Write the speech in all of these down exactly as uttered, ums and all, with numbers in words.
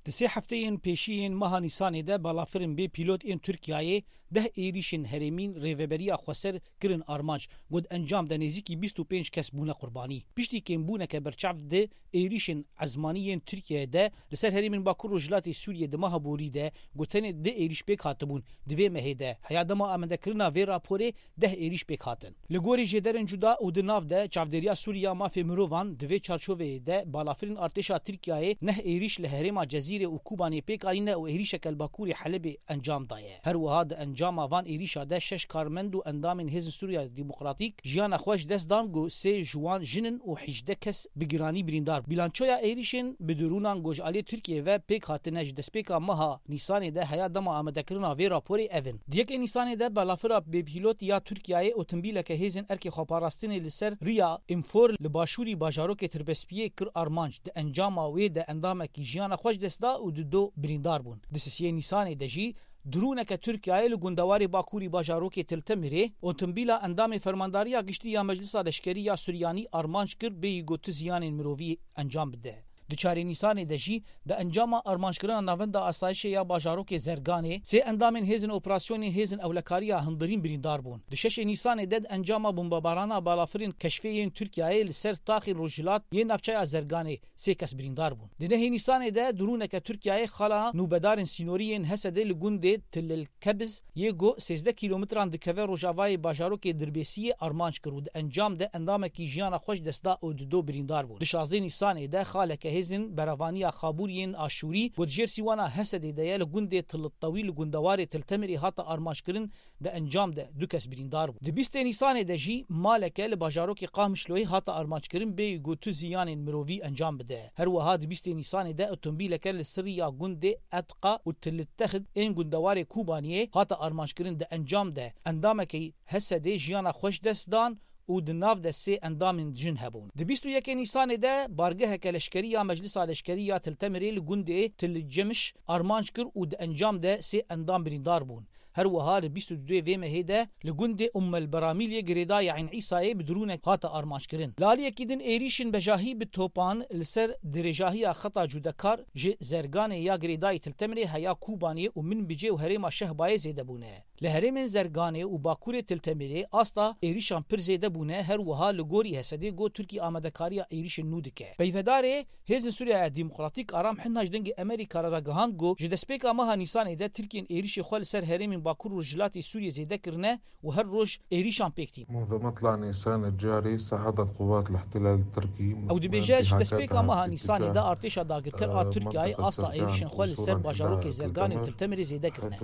Di sê hefteyên pêşî yên meha Nîsanê de balafirên bê pîlot ên Tirkiyeyê deh êrîşên herêmîn Rêveberiya Xweser kirin armanc, ku di encam de nêzîkî bîst û pênc kes bûne qurbanî. Piştî kêmbûneke berçav di êrîşên ezmanî yên Tirkiyeyê de li ser herêmên Bakur Rojhilatê Sûriyê di meha borî de, ku tenê du êrîş pêk hatibûn, di vê mehê de heya dema amadekirina vê raporê deh êrîş pêk hatin. Li gorî jêderên cuda û di nav de Çavdêriya Sûrî ya Mafê Mirovan, di vê çarçoveyê de balafirên artêşa Tirkiyeyê neh êrîş li herêma Cezîrê û Kobanê pêk anîne û êrîşeke li bakurê Helebê encam daye. Her wiha di encama van êrîşa de şeş karmend û endamên Hêzên Sûriya Demokratîk jiyana xwe ji dest dan, ku sê ji wan jin in û hejdeh kes bi giranî birîndar. Bîlançoya êrîşên bi dirûnan ku ji aliyê Tirkiyeyê ve pêk hatine ji destpêka meha Nîsanê de heya dema amadekirina vê raporê ev in. Di yekê Nîsanê de balafira bêpîlot ya Tirkiyeyê otomobîleke hêzên erkê xweparastinê li ser riya Înfor li başûrî bajarokê Tirbespiyê kir armanc. Di encama wê de endamekî jiyana xwe ji dest da û di do birîndar bûn. Di sisiyê Nîsanê de jî droneke Tirkiyeyê li gundewarê bakurî bajarokê Til Temirê otomobîla endamê Fermandariya Giştî ya Meclisa Leşkerî ya Suryanî armanc kir, bêyî ku tu ziyanên mirovî encam bide. Di çarê Nîsanê de jî di encama armanckirina Navenda Asayişê ya bajarokê Zerganê sê endamên Hêzên Operasyonên Hêzên Ewlekariya Hundirîn birîndar bûn. Di şeşê Nîsanê de di encama bombebarana balafirên keşfê yên Tirkiyeyê li ser taxên rojhilat yên navçeya Zerganê sê kes birîndar bûn. Di nehê Nîsanê de droneke Tirkiyeyê xala nûbedarên sînorî yên Hesedê li gundê Tilil Kebiz yê ku sêzdeh kîlometran dikeve rojavayê bajarokê Dirbêsiyê armanc kir û di encam de endamekî jiyana xwe ji dest da û di do birîndar bûn. Di şazdeh Nîsanê de xaleke hêzên Berevaniya Xabûriyên Aşûrî ku di jêr sîwana Hesedê de ye li gundê Tilittewî li gundewarê Til Temirê hate armanckirin, di encam de du kes birîndar bûn. Di bîstê Nîsanê de jî maleke li bajarokê Qamişloyê hate armanckirin, bêyî ku tu ziyanên mirovî encam bide. Her wiha di bîstê Nîsanê de otomobîleke li ser riya gundê Etqa û Tilittexid ên gundewarê Kobaniyê hate armanckirin, di encam de endamekî Hesedê jiyana xwe ji dest dan û di nav de sê endamên jin hebûn. Di bîst û yekê Nîsanê de bargeheke leşkerî ya Meclisa Leşkerî ya Til Temirê li gundê Til Cemiş armanc kir û di encam de sê endam birîndar bûn. Her wiha li bîst û duyê vê mehê de li gundê Ummel Beramîlê girêdayî Eyn Îsayê bi dronek hate armanckirin. Li aliyekî din êrîşên bejahî bi topan li ser dirêjahiya xeta cûdekar ji Zerganê ya girêdayî Til Temirê heya Kobaniyê û Minbicê û herêma Şehbayê zêde bûne. Li herêmên Zerganê û Bakurê Til Temirê asta êrîşan pir zêde bûne, her wiha li gorî Hesedê got Tirkî amadekariya êrîşên nû dike. Peyvedarê Hêzên Sûriya Demokratîk Aram Hinna ji Dengê Amerîka re ragihand got ji destpêka meha Nîsanê de Tirkiyên êrîşê xwe li ser herêmên Bakur û Rojhilatê Sûriyê zêde kirine û her roj êrîşan pêk tîn. منذ مطلع نيسان الجاري صعدت قوات الاحتلال التركي Ew dibêje, ji destpêka meha Nîsanê de artêşa dagirker a Tirkiyeyê asta êrîşên xwe li ser bajarokê Zerganê û Til Temirê zêde kirine.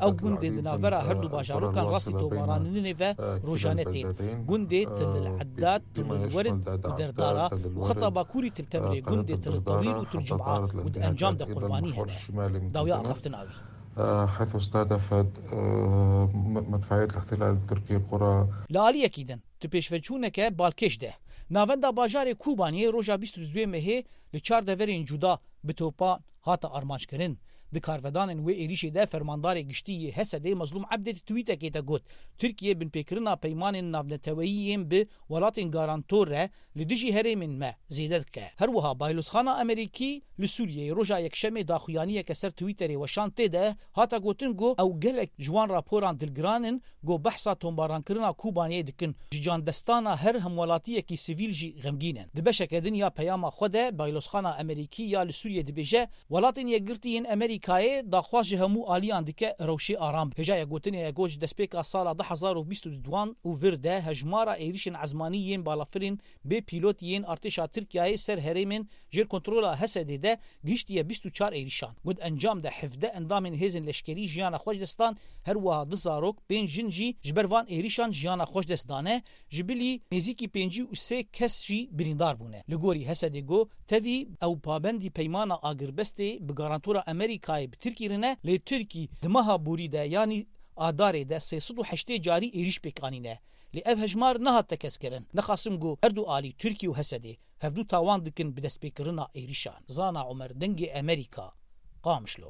Ew gundên di navbera her du bajarokan rastî tomaranînê ve rojane tên. Gundê Til Eddad, Til Werid û Derdara û xeta bakurî Til Temirê gundê Til Tewîl û Til Cuma û di encam de qurbanî hene. Dawiya axaftina wî. حيث استهدفت مدفعية الاحتلال التركي قرى. Li aliyekî din, di pêşveçûneke balkêş de, navenda bajarê Kobaniyê roja bîst û duyê mehê li çar deverên cuda bi topan hate armanckirin. Di karvedanên wê êrîşê de fermandarê giştî yê Hesedê Mezlûm Ebdê di twîtekê de got, Tirkiye binpêkirina peymanên navneteweyî yên bi welatên garantor re li dijî herêmên me zêde dike. Her wiha Baylozxana Amerîkî li Sûriyeyê roja Yekşemê daxuyaniyeke ser Twitterê weşand, tê de hate gotin ku ew gelek ji wan raporan dilgiran in ku behsa tombarankirinê Kobaniyê dikin, ji candestana her hemwelatiyekî sivîl jî xemgîn in. Di beşeke din ya peyama xwe de Baylozxana Amerîkî ya li Sûriyê dibêje, Welatên Yekgirtî yên Amerîkayê daxwaz ji hemû aliyan dike rewşê aram be. Hêjayek gotinê ye ku ji destpêka sala du hezar û bîst û duan û vir de hejmara êrîşên ezmanî yên balafirên bê pîlotî yên artêşa Tirkiyeyê ser herêmên jêr kontrola Hesedê de gihiştiye bîst û çar êrîşan. Ku di encam de hevdeh endamên hêzên leşkerî jiyana xwe ji dest dan, her wiha du zarok, pênc jin jî ji ber van êrîşan jiyana xwe ji dest dane, ji bilî nêzîkî pêncî û sê kes jî birîndar bûne. Li gorî Hesedê got, tevî ew pabendî peymana agirbestê bi garantora Amerîkayê bi Tirkî re ne, lê Tirkî di meha borî de, yanî Adarê de sê sed û heştê carî êrîş pêk anîne. Lê ev hejmar nehat tekez kirin. Nexasim ku her du alî, Tirkî û Hesedê, hevdu tawan dikin bi destpêkirina êrîşan. Zana Omer, Dengê Amerîka, Qamişlo.